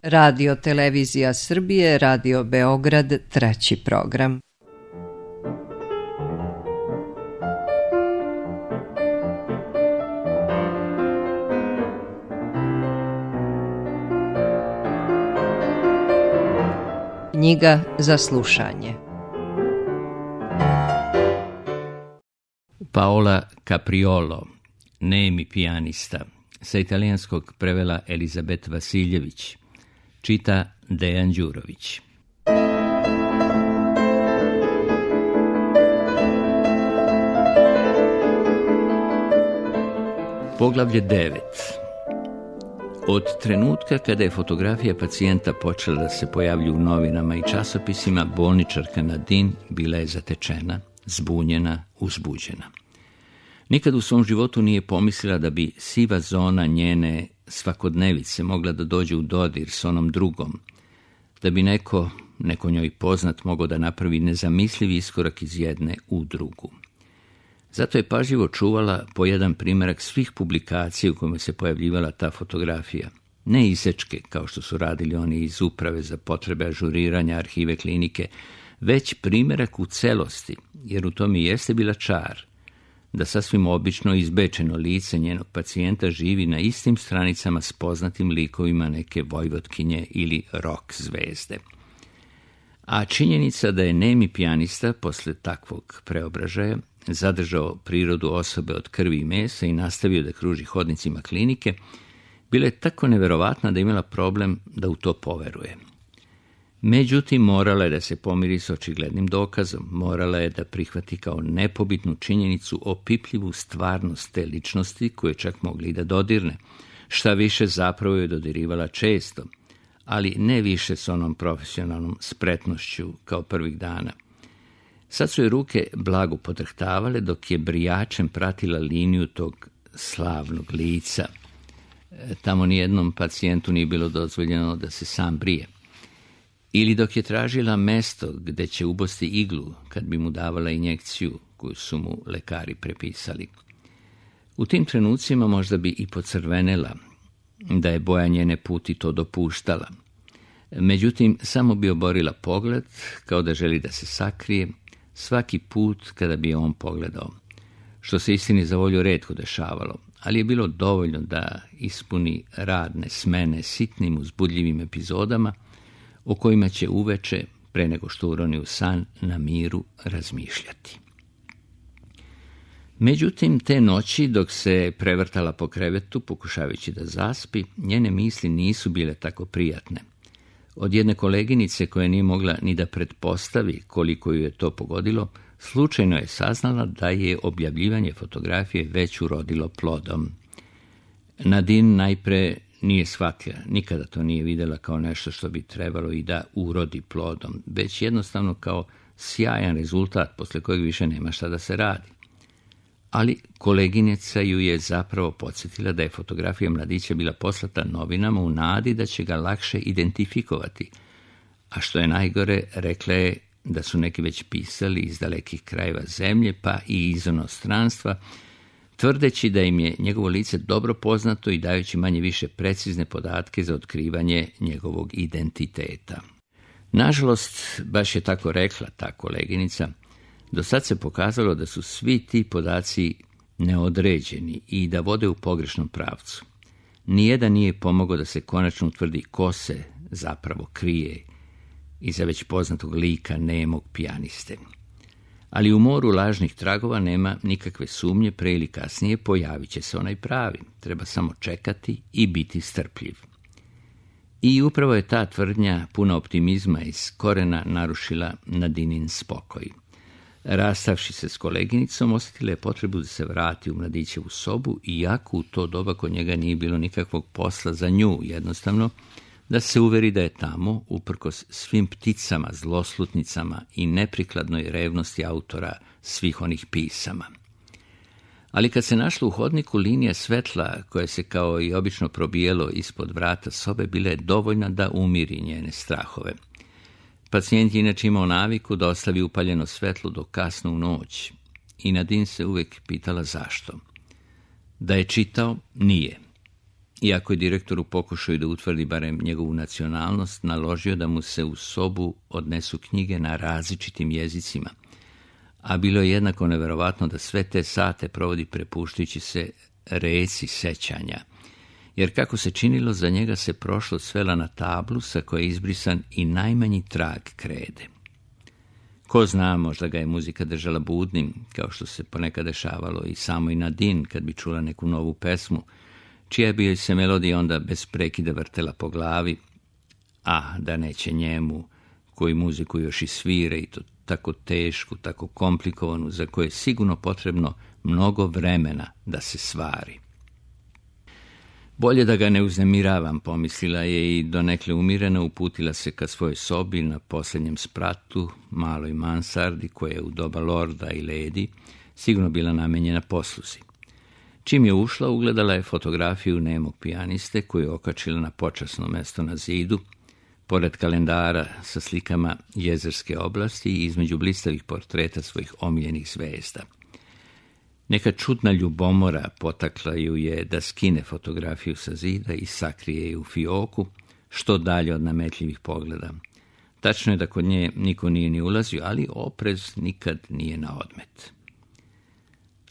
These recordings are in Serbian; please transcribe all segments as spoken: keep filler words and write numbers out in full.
Radio Televizija Srbije, Radio Beograd, treći program. Knjiga za slušanje. Paola Capriolo, nemi pijanista, sa italijanskog prevela Elizabet Vasiljević, čita Dejan Đurović. Poglavlje devet. Od trenutka kada je fotografija pacijenta počela da se pojavlju u novinama i časopisima, bolničarka Nadine bila je zatečena, zbunjena, uzbuđena. Nikad u svom životu nije pomislila da bi siva zona njene svakodnevice mogla da dođe u dodir s onom drugom, da bi neko, neko njoj poznat, mogao da napravi nezamislivi iskorak iz jedne u drugu. Zato je pažljivo čuvala po jedan primjerak svih publikacija u kojima se pojavljivala ta fotografija. Ne isečke, kao što su radili oni iz uprave za potrebe ažuriranja arhive klinike, već primjerak u celosti, jer u tom i jeste bila čar, da sasvim obično izbečeno lice njenog pacijenta živi na istim stranicama s poznatim likovima neke vojvotkinje ili rock zvezde. A činjenica da je nemi pijanista posle takvog preobražaja zadržao prirodu osobe od krvi i mesa i nastavio da kruži hodnicima klinike, bila je tako neverovatna da imala problem da u to poveruje. Međutim, morala je da se pomiri s očiglednim dokazom, morala je da prihvati kao nepobitnu činjenicu opipljivu stvarnost te ličnosti koje čak mogli i da dodirne. Šta više, zapravo je dodirivala često, ali ne više s onom profesionalnom spretnošću kao prvih dana. Sad su je ruke blago podrhtavale dok je brijačem pratila liniju tog slavnog lica. Tamo nijednom pacijentu nije bilo dozvoljeno da se sam brije. Ili dok je tražila mesto gde će ubosti iglu kad bi mu davala injekciju koju su mu lekari prepisali. U tim trenucima možda bi i pocrvenela, da je boja njene puti to dopuštala. Međutim, samo bi oborila pogled, kao da želi da se sakrije, svaki put kada bi je on pogledao, što se istini za volju retko dešavalo, ali je bilo dovoljno da ispuni radne smene sitnim uzbudljivim epizodama o kojima će uveče, pre nego što uroni u san, na miru razmišljati. Međutim, te noći, dok se prevrtala po krevetu, pokušavajući da zaspi, njene misli nisu bile tako prijatne. Od jedne koleginice koja nije mogla ni da pretpostavi koliko ju je to pogodilo, slučajno je saznala da je objavljivanje fotografije već urodilo plodom. Nadine najpre nije shvatila, nikada to nije vidjela kao nešto što bi trebalo i da urodi plodom, već jednostavno kao sjajan rezultat posle kojeg više nema šta da se radi. Ali koleginica ju je zapravo podsjetila da je fotografija mladića bila poslata novinama u nadi da će ga lakše identifikovati, a što je najgore, rekla je da su neki već pisali iz dalekih krajeva zemlje pa i iz inostranstva, tvrdeći da im je njegovo lice dobro poznato i dajući manje više precizne podatke za otkrivanje njegovog identiteta. Nažalost, baš je tako rekla ta koleginica, do sad se pokazalo da su svi ti podaci neodređeni i da vode u pogrešnom pravcu. Nijedan nije pomogao da se konačno utvrdi ko se zapravo krije iza već poznatog lika nemog pijaniste. Ali u moru lažnih tragova nema nikakve sumnje, pre ili kasnije pojavit će se onaj pravi. Treba samo čekati i biti strpljiv. I upravo je ta tvrdnja puna optimizma iz korena narušila Nadinin spokoj. Rastavši se s koleginicom, osjetila je potrebu da se vrati u mladićevu sobu, iako u to doba kod njega nije bilo nikakvog posla za nju, jednostavno da se uveri da je tamo, uprkos svim pticama, zloslutnicama i neprikladnoj revnosti autora svih onih pisama. Ali kad se našla u hodniku, linija svetla, koja se kao i obično probijelo ispod vrata sobe, bila je dovoljna da umiri njene strahove. Pacijent je inače imao naviku da ostavi upaljeno svetlo do kasno u noć i Nadine se uvek pitala zašto. Da je čitao, nije. Iako je direktor u pokušaju da utvrdi barem njegovu nacionalnost, naložio da mu se u sobu odnesu knjige na različitim jezicima, a bilo je jednako neverovatno da sve te sate provodi prepuštajući se reci sećanja, jer kako se činilo, za njega se prošlost svela na tablu sa koje je izbrisan i najmanji trag krede. Ko zna, možda ga je muzika držala budnim, kao što se ponekad dešavalo i samo i Nadine kad bi čula neku novu pesmu, čija bi joj se melodija onda bez prekida vrtela po glavi, a da neće njemu, koji muziku još i svira i to tako tešku, tako komplikovanu, za koje je sigurno potrebno mnogo vremena da se svari. Bolje da ga ne uznemiravam, pomislila je i donekle umirena uputila se ka svojoj sobi na posljednjem spratu, maloj mansardi koja je u doba lorda i ledi sigurno bila namenjena posluzi. Čim je ušla, ugledala je fotografiju nemog pijaniste koju je okačila na počasno mesto na zidu, pored kalendara sa slikama jezerske oblasti i između blistavih portreta svojih omiljenih zvezda. Neka čudna ljubomora potakla ju je da skine fotografiju sa zida i sakrije je u fioku, što dalje od nametljivih pogleda. Tačno je da kod nje niko nije ni ulazio, ali oprez nikad nije na odmet.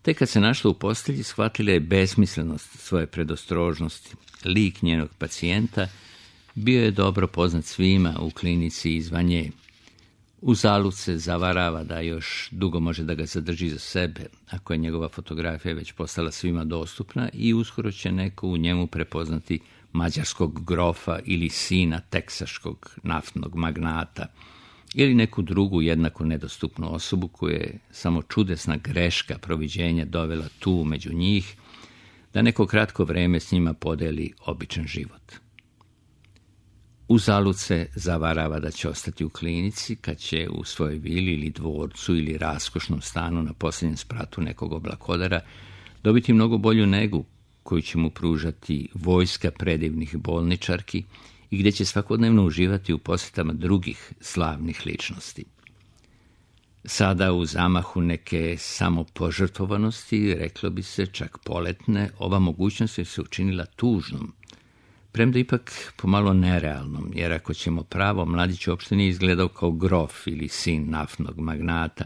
Tek kad se našla u postelji, shvatila je besmislenost svoje predostrožnosti. Lik njenog pacijenta bio je dobro poznat svima u klinici izvan nje. Uzalud se zavarava da još dugo može da ga zadrži za sebe, ako je njegova fotografija već postala svima dostupna i uskoro će neko u njemu prepoznati mađarskog grofa ili sina teksaškog naftnog magnata ili neku drugu jednako nedostupnu osobu koju je samo čudesna greška proviđenja dovela tu među njih, da neko kratko vreme s njima podeli običan život. Uzalud se zavarava da će ostati u klinici kad će u svojoj vili ili dvorcu ili raskošnom stanu na posljednjem spratu nekog oblakodara dobiti mnogo bolju negu koju će mu pružati vojska predivnih bolničarki i gdje će svakodnevno uživati u posjetama drugih slavnih ličnosti. Sada u zamahu neke samopožrtvovanosti, reklo bi se čak poletne, ova mogućnost je se učinila tužnom, premda ipak pomalo nerealnom, jer ako ćemo pravo, mladić uopšte nije izgledao kao grof ili sin naftnog magnata,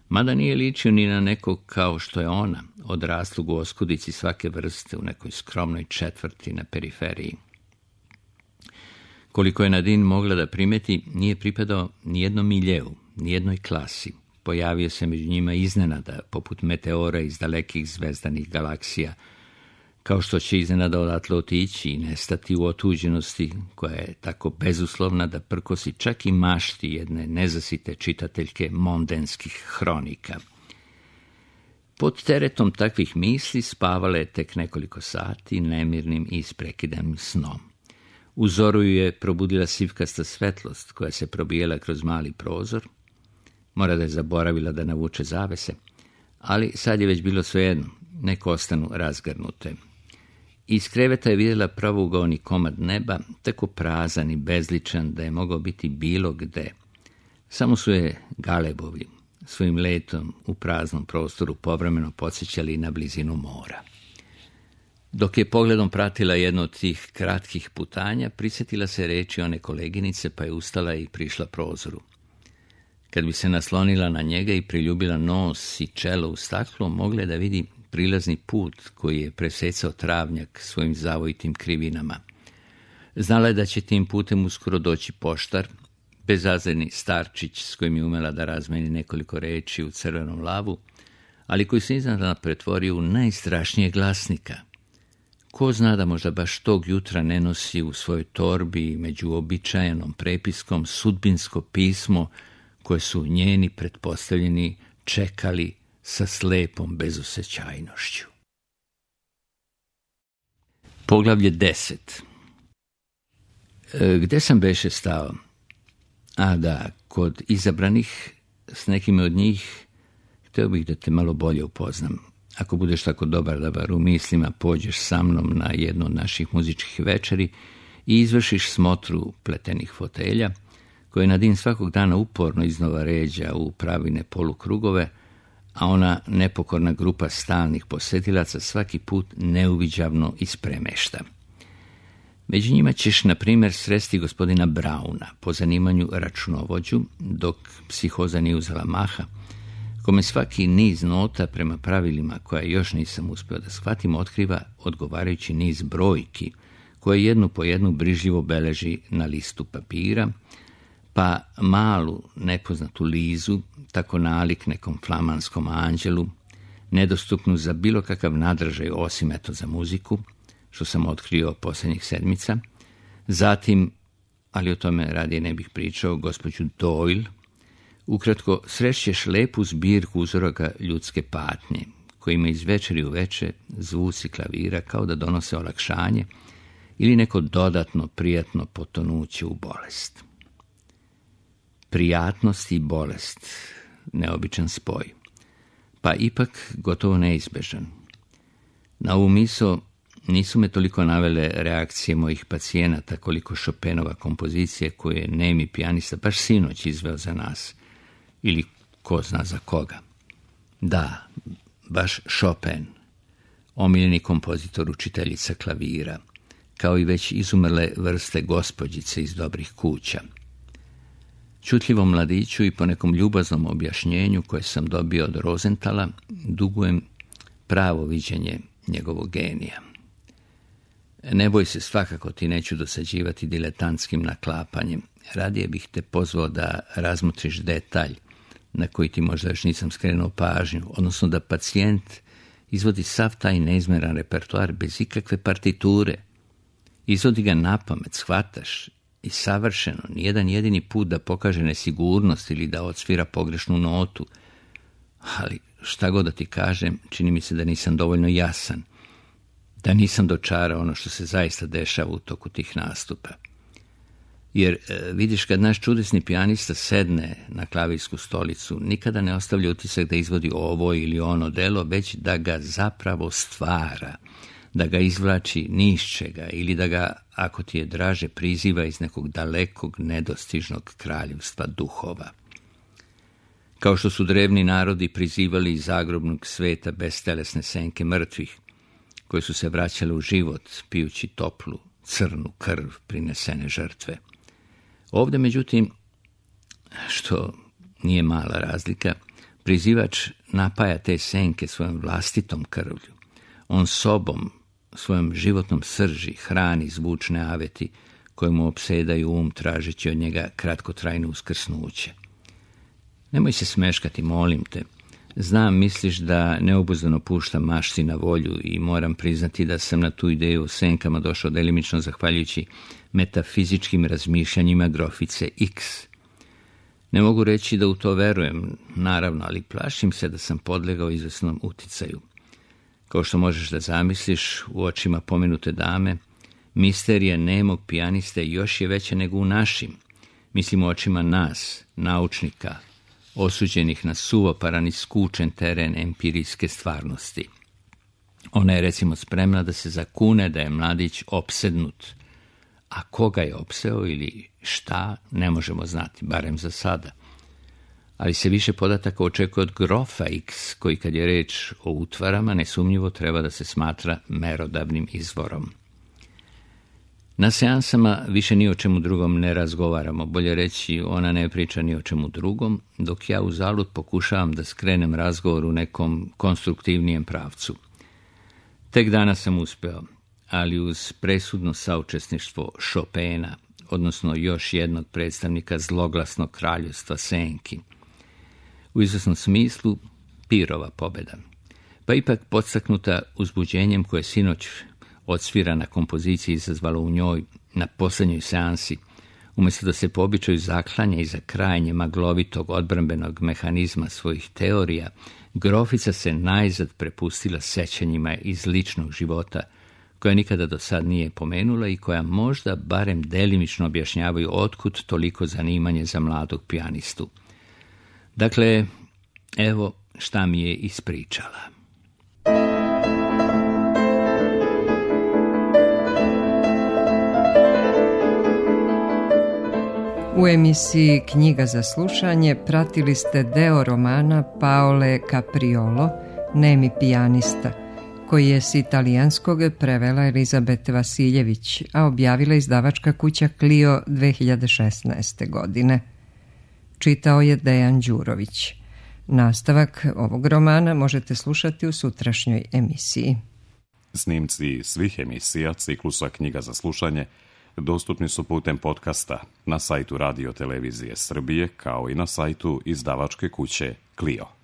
mada nije ličio ni na nekog kao što je ona, odraslog u oskudici svake vrste u nekoj skromnoj četvrti na periferiji. Koliko je Nadine mogla da primeti, nije pripadao nijednom miljeu, nijednoj klasi. Pojavio se među njima iznenada, poput meteora iz dalekih zvezdanih galaksija, kao što će iznenada odatle otići i nestati u otuđenosti koja je tako bezuslovna da prkosi čak i mašti jedne nezasite čitateljke mondenskih hronika. Pod teretom takvih misli spavala je tek nekoliko sati nemirnim i isprekidanim snom. U zoru ju je probudila sivkasta svetlost koja se probijela kroz mali prozor. Mora da je zaboravila da navuče zavese, ali sad je već bilo svejedno, neko ostanu razgrnute. Iz kreveta je vidjela pravougaoni komad neba, tako prazan i bezličan da je mogao biti bilo gde. Samo su je galebovi svojim letom u praznom prostoru povremeno podsjećali na blizinu mora. Dok je pogledom pratila jedno od tih kratkih putanja, prisjetila se reči one koleginice, pa je ustala i prišla prozoru. Kad bi se naslonila na njega i priljubila nos i čelo u staklo, mogla je da vidi prilazni put koji je presecao travnjak svojim zavojitim krivinama. Znala je da će tim putem uskoro doći poštar, bezazleni starčić s kojim je umela da razmeni nekoliko reči u crvenom lavu, ali koji se iznenada pretvorio u najstrašnijeg glasnika. Ko zna da možda baš tog jutra ne nosi u svojoj torbi među običajenom prepiskom sudbinsko pismo koje su njeni pretpostavljeni čekali sa slepom bezosećajnošću. Poglavlje deset. E, gde sam beše stao? A da, kod izabranih, s nekim od njih, hteo bih da te malo bolje upoznam. Ako budeš tako dobar da bar u mislima pođeš sa mnom na jednu od naših muzičkih večeri i izvršiš smotru pletenih fotelja, koje Nadine svakog dana uporno iznova ređa u pravine polukrugove, a ona nepokorna grupa stalnih posetilaca svaki put neuviđavno ispremešta. Među njima ćeš, na primjer, sresti gospodina Brauna, po zanimanju računovođu, dok psihoza nije uzela maha, kome svaki niz nota prema pravilima koja još nisam uspio da shvatim otkriva odgovarajući niz brojki, koje jednu po jednu brižljivo beleži na listu papira, pa malu nepoznatu Lizu tako nalik nekom flamanskom anđelu, nedostupnu za bilo kakav nadražaj osim eto za muziku, što sam otkrio posljednjih sedmica, zatim, ali o tome radije ne bih pričao, gospođu Doyle. Ukratko, srećeš lepu zbirku uzoraka ljudske patnje, kojima iz večeri u veče zvuci klavira kao da donose olakšanje ili neko dodatno prijatno potonuće u bolest. Prijatnost i bolest, neobičan spoj, pa ipak gotovo neizbežan. Na ovu misao nisu me toliko navele reakcije mojih pacijenata koliko Chopinova kompozicije koje je nemi pijanista baš sinoć izveo za nas, ili ko zna za koga. Da, baš Chopin, omiljeni kompozitor učiteljica klavira, kao i već izumrle vrste gospođice iz dobrih kuća. Čutljivom mladiću i po nekom ljubaznom objašnjenju koje sam dobio od Rosenthala dugujem pravo viđenje njegovog genija. Ne boj se, svakako ti neću dosađivati diletantskim naklapanjem. Radije bih te pozvao da razmotriš detalj na koji ti možda još nisam skrenuo pažnju, odnosno da pacijent izvodi sav taj neizmjeran repertoar bez ikakve partiture. Izvodi ga napamet, shvataš, i savršeno, nijedan jedini put da pokaže nesigurnost ili da odsvira pogrešnu notu. Ali šta god da ti kažem, čini mi se da nisam dovoljno jasan, da nisam dočarao ono što se zaista dešava u toku tih nastupa. Jer e, vidiš, kad naš čudesni pijanista sedne na klavirsku stolicu, nikada ne ostavlja utisak da izvodi ovo ili ono delo, već da ga zapravo stvara, da ga izvlači ni iz čega ili da ga, ako ti je draže, priziva iz nekog dalekog, nedostižnog kraljevstva duhova. Kao što su drevni narodi prizivali iz zagrobnog sveta bestelesne senke mrtvih, koje su se vraćale u život, pijući toplu, crnu krv prinesene žrtve. Ovdje, međutim, što nije mala razlika, prizivač napaja te senke svojom vlastitom krvlju. On sobom, svojom životnom srži, hrani zvučne aveti koje mu opsedaju um tražeći od njega kratkotrajno uskrsnuće. Nemoj se smeškati, molim te. Znam, misliš da neobuzdano puštam mašti na volju i moram priznati da sam na tu ideju o senkama došao delimično zahvaljujući metafizičkim razmišljanjima grofice X. Ne mogu reći da u to verujem, naravno, ali plašim se da sam podlegao izvesnom uticaju. Kao što možeš da zamisliš, u očima pomenute dame, misterija nemog pijaniste još je veća nego u našim. Mislim u očima nas, naučnika, osuđenih na suvoparan i skučen teren empirijske stvarnosti. Ona je, recimo, spremna da se zakune da je mladić opsednut. A koga je opseo ili šta, ne možemo znati, barem za sada. Ali se više podataka očekuje od grofa X, koji kad je reč o utvarama nesumnjivo treba da se smatra merodavnim izvorom. Na seansama više ni o čemu drugom ne razgovaramo, bolje reći, ona ne priča ni o čemu drugom, dok ja uzalud pokušavam da skrenem razgovor u nekom konstruktivnijem pravcu. Tek danas sam uspeo, ali uz presudno saučesništvo Chopina, odnosno još jednog predstavnika zloglasnog kraljevstva senki. U izvesnom smislu pirova pobjeda, pa ipak podstaknuta uzbuđenjem koje sinoć odsvira na kompoziciji izazvalo u njoj na posljednjoj seansi, umjesto da se po običaju zaklanja iza krajnje maglovitog odbrambenog mehanizma svojih teorija, grofica se najzad prepustila sećanjima iz ličnog života, koja nikada do sad nije pomenula i koja možda barem delimično objašnjavaju otkud toliko zanimanje za mladog pijanistu. Dakle, evo šta mi je ispričala. U emisiji Knjiga za slušanje pratili ste deo romana Paole Capriolo, Nemi pijanista, koji je s italijanskog prevela Elizabete Vasiljević, a objavila izdavačka kuća Clio dve hiljade šesnaeste. godine. Čitao je Dejan Đurović. Nastavak ovog romana možete slušati u sutrašnjoj emisiji. Snimci svih emisija ciklusa Knjiga za slušanje dostupni su putem podcasta na sajtu Radio Televizije Srbije kao i na sajtu izdavačke kuće Clio.